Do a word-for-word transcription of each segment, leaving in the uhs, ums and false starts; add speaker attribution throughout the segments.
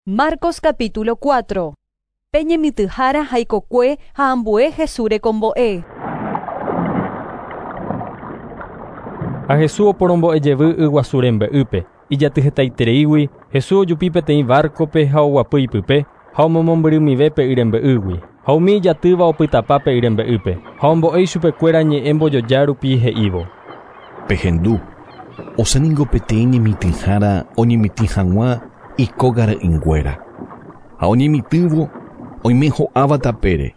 Speaker 1: Marcos capítulo cuatro. Pe ñemitỹhára ha ikokue ha ambue Jesús rekombo'e.
Speaker 2: Ha Jesús oporombo'ejevy yguasu rembe'ýpe. Ijatyhetaitereígui, Jesús ojupi peteĩ barco-pe ha oguapy ipype ha omomombyrymive pe y rembe'ýgui. Ha umi ijatýva opytapa pe y rembe'ýpe. Ha ombo'e ichupekuéra ñe'ẽ mbojoja rupi he'ívo.
Speaker 3: Pehendu, osẽningo peteĩ ñemitỹhára oñemitỹ hag̃ua ikógara'ỹnguéra. Ha oñemitỹvo oime ho'áva tapére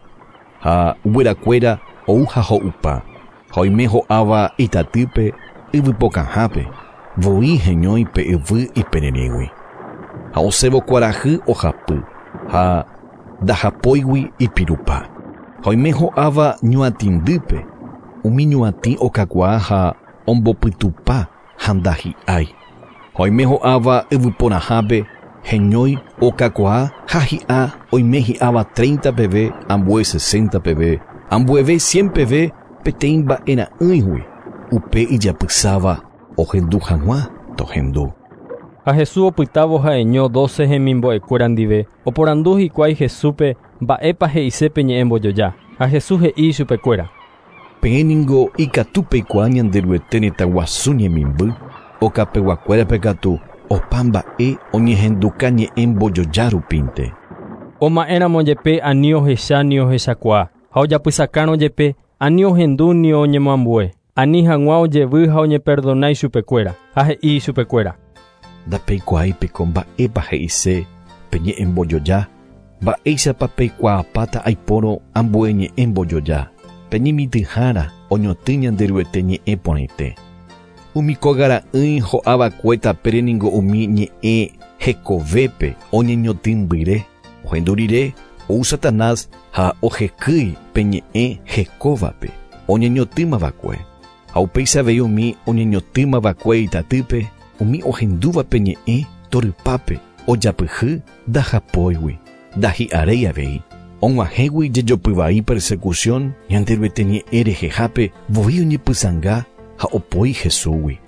Speaker 3: ha guyrakuéra ou ha ho'upa. Ha oime ho'áva itatýpe yvypokãhápe voi heñói pe yvy ipererĩgui. Ha osẽvo kuarahy ohapy ha ndahapóigui ipirupa. Ha oime ho'áva ñuatĩndýpe umi ñuatĩ okakuaa ha ombopytupa ha ndahi'ái. Ha oime ho'áva yvyporãhápe heñói okakuaa ha hi'a oime hi'áva treinta peve, ambue sesenta peve, ambueve cien peve peteĩ mba'era'ỹigui. Upe ijapysáva ohendu hag̃ua tohendu.
Speaker 2: Ha Jesús opytávo ha'eño doce hemimbo'ekuéra ndive oporandu hikuái Jesúspe mba'épa he'ise pe ñe'ẽ mbojoja. Ha Jesús he'i ichupekuéra.
Speaker 3: Peẽ ningo ikatu peikuaa Ñanderuete retãguasu ñemimby okapeguakuérape katu opa mba'e oñehenduka ñe'ẽ mbojoja rupínte.
Speaker 2: Oma'ẽramo jepe ani ohecha ni ohechakuaa ha ojapysakárõ jepe ani ohendu ni oñemoambue. Ani hag̃ua ojevy ha oñeperdona ichupekuéra ha he'i ichupekuéra.
Speaker 3: Ndapeikuaáipeko mba'épa he'ise pe ñe'ẽ mbojoja, mba'éichapa peikuaapáta aipórõ ambue ñe'ẽ mbojoja. Pe ñemitỹhára oñotỹ Ñanderuete ñe'ẽ porãite. Umi kógara'ỹi ho'avakue tapére ningo umi ñe'ẽ hekovépe oñeñotỹmbyre. Ohendu rire ou Satanás ha ohekýi pe ñe'ẽ hekóvape oñeñotỹmavakue. Ha upéicha avei umi oñeñotỹmavakue itatýpe umi ohendúva pe ñe'ẽ torypápe ojapyhy ndahapóigui ndahi'aréi avei. Og̃uahẽgui jejopyvai persecución Ñanderuete ñe'ẽ rehehápe voi oñepysãnga ha opoi Jesúsgui.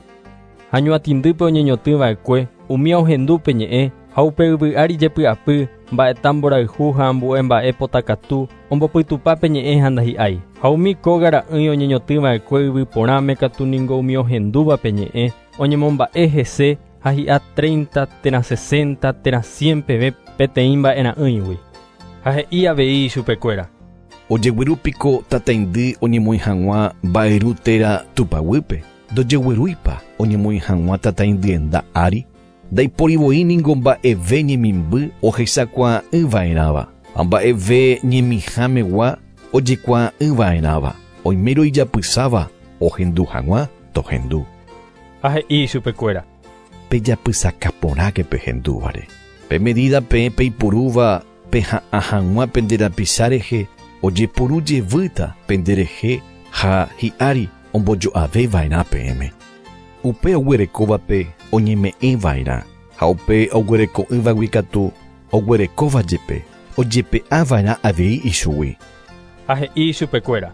Speaker 2: Ha ñuatĩndýpe oñeñotỹva'ekue umi ohendu pe ñe'ẽ ha upe yvy ári jepy'apy mba'eta mborayhu ha ambue mba'e potakatu ombopytupa pe ñe'ẽ ha ndahi'ái. Ha umi kógara'ỹi oñeñotỹva'ekue yvy porãme katu ningo umi ohendúva pe ñe'ẽ oñemomba'e hese ha hi'a treinta térã sesenta térã cien peve peteĩ mba'era'ỹigui. Ha he'i avei ichupekuéra.
Speaker 3: Ojeguerúpiko tataindy oñemoĩ hag̃ua mba'yru térã tupaguýpe. Ndojeguerúipa oñemoĩ hag̃ua tataindyenda ári. Ndaiporivo'i ningo mba'eve ñemimby ohechakuaa'ỹva'erãva ha mba'eve ñemihámegua ojekuaa'ỹva'erãva. Oimérõ ijapysáva ohendu hag̃ua tohendu.
Speaker 2: Ha he'i ichupekuéra.
Speaker 3: Pejapysaka porãke pehendúvare. Pe medida peẽ peipurúva peha'ã hag̃ua pende rapicha rehe ojepuru jevýta penderehe ha hi'ári ombojo'aveva'erã peẽme. Upe oguerekóvape oñeme'ẽva'erã ha upe oguereko'ỹvagui katu oguerekóva jepe ojepe'ava'erã avei ichugui.
Speaker 2: Ha he'i ichupekuéra.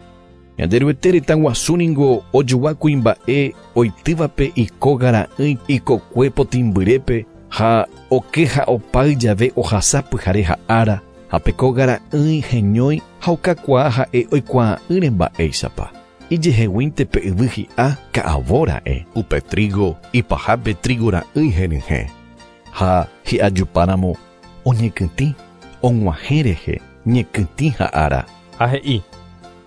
Speaker 3: Ñanderuete retãguasu ningo ojogua kuimba'e oitývape ikógara'ỹi ikokue potĩmbyrépe ha oke ha opáy jave ohasa pyhare ha ára ha pe kógara'ỹi heñói ha okakuaa ha'e oikuaa'ỹre mba'éichapa. Ijeheguínte pe yvy hi'a ka'avóra'e upe trigo ipahápe trigora'ỹi henyhẽ. Ha hi'ajupáramo oñekytĩ og̃uahẽ rehe ñekytĩ ha ára.
Speaker 2: Ha he'i.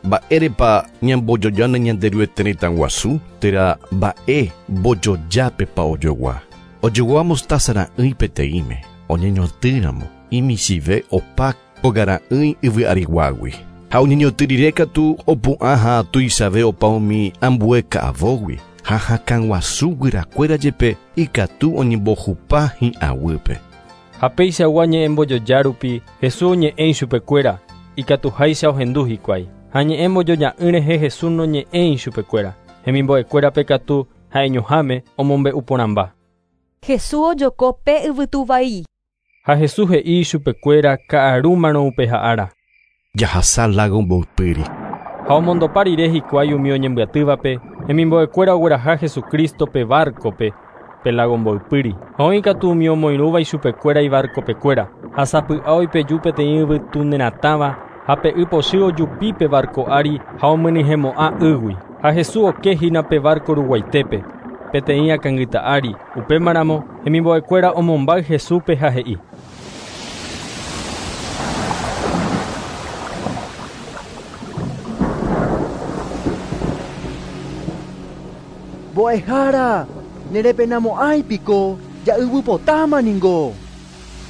Speaker 3: Mba'érepa ñambojojáne Ñanderuete retãguasu térã mba'e mbojojápepa ojogua. Ojogua mostazara'ỹi peteĩme oñeñotỹramo imichive opa kógara'ỹi yvy ariguágui. Ha oñeñotỹ rire katu opu'ã ha tuichave opa umi ambue ka'avógui ha hakãguasu guyrakuéra jepe ikatu oñembohupa hi'aguýpe.
Speaker 2: Ha péichagua ñe'ẽ mbojoja rupi Jesús oñe'ẽ ichupekuéra ikatuháicha ohendu hikuái. Ha ñe'ẽ mbojoja'ỹ rehe Jesús noñe'ẽi ichupekuéra. Hemimbo'ekuérape katu ha'eñoháme omombe'u porãmba.
Speaker 1: Jesús ojoko pe yvytuvai.
Speaker 2: Ha Jesús he'i ichupekuéra ka'arúmarõ upe ha'ára.
Speaker 3: Jahasa lago mboypýri.
Speaker 2: Ha omondopa rire hikuái umi oñembyatývape hemimbo'ekuéra ogueraha Jesucristo-pe barco-pe pe lago mboypýri. Ha oĩ katu umi omoirũva ichupekuéra ibarcopekuéra ha sapy'a oipeju peteĩ yvytuneratãva ha pe y pochy ojupi pe barco ári ha omyenyhẽmo'ã ýgui. Ha Jesús okehína pe barco ruguaitépe peteĩ akãngyta ári. Upémaramo hemimbo'ekuéra omombáy Jesúspe ha he'i:
Speaker 4: Mbo'ehára, nerepenamo'ãipiko, ja'yvypotáma ningo.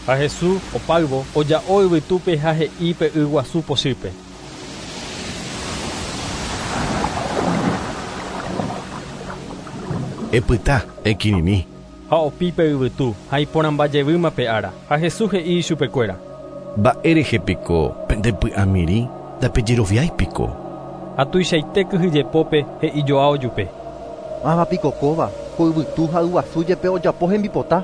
Speaker 2: Ha Jesús opáyvo oja'o yvytúpe ha he'i pe yguasu pochýpe:
Speaker 3: Epyta, ekirirĩ.
Speaker 2: Ha opi pe yvytu ha iporãmbajevýma pe ára. Ha Jesús he'i ichupekuéra:
Speaker 3: Mba'érehepiko pendepy'amirĩ ndapejeroviáipiko.
Speaker 2: Ha tuichaite kyhyjepópe he'ijoa ojupe:
Speaker 4: Mávapiko kóva ko yvytu ha yguasu jepe ojapo hembipota.